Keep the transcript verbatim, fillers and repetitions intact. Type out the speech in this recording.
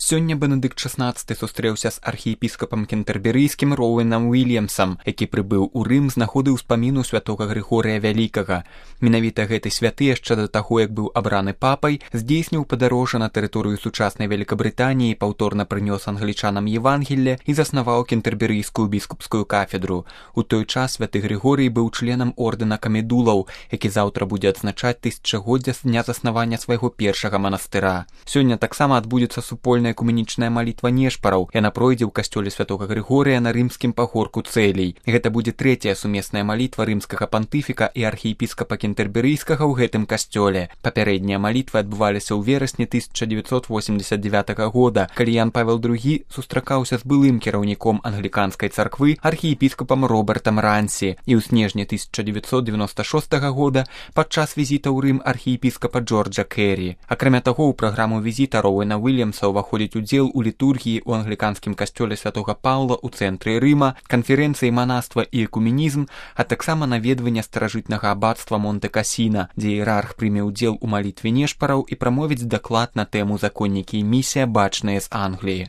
Сёння Бенедыкт шаснаццаты сустрэўся з архіепіскапам кентэрберыйскім Роуэнам Уільямсам, які прыбыў у Рым з нагоды ўспаміну святога Грыгорыя Вялікага. Менавіта гэты святы яшчэ да таго, як быў абраны папай, здзейсніў падарожжа на тэрыторыю сучаснай Вялікабрытаніі, паўторна прынёс англічанам Евангелле і заснаваў кентэрберыйскую біскупскую кафедру. У той час святы Грыгорый быў членам ордэна камедулаў, які заўтра будзе адзначаць тысячагоддзе з дня заснавання свайго першага манастыра. Сёння таксама адбудзецца супольная экуменічная малітва нешпараў. Яна пройдзе ў касцёле святога Грыгорыя на рымскім пагорку Цэлей. Гэта будзе трэцяя сумесная малітва рымскага пантыфіка і архіепіскапа кентэрберыйскага ў гэтым касцёле. Папярэднія малітвы адбываліся ў верасні тысяча дзевяцьсот восемьдесят девятага года, калі Ян Павел другі сустракаўся з былым кіраўніком англіканскай царквы архіепіскапам Робертам Рансі, і ў снежні тысяча дзевяцьсот девяносто шостага года падчас візіта ў Рым архіепіскапа Джорджа Керрі. Акрамя таго, у праграму візіта Роуэна Уільямса уваходзіць удзел у літургіі ў англіканскім касцёле святога Паўла ў цэнтры Рыма, канферэнцыі манаства і экуменізм, а таксама наведванне старажытнага абацтва Монте-Касіна, дзе іерарх прыме ўдзел у малітве нешпараў і прамовіць даклад на тэму законнікі і місія, бачныя з Англіі.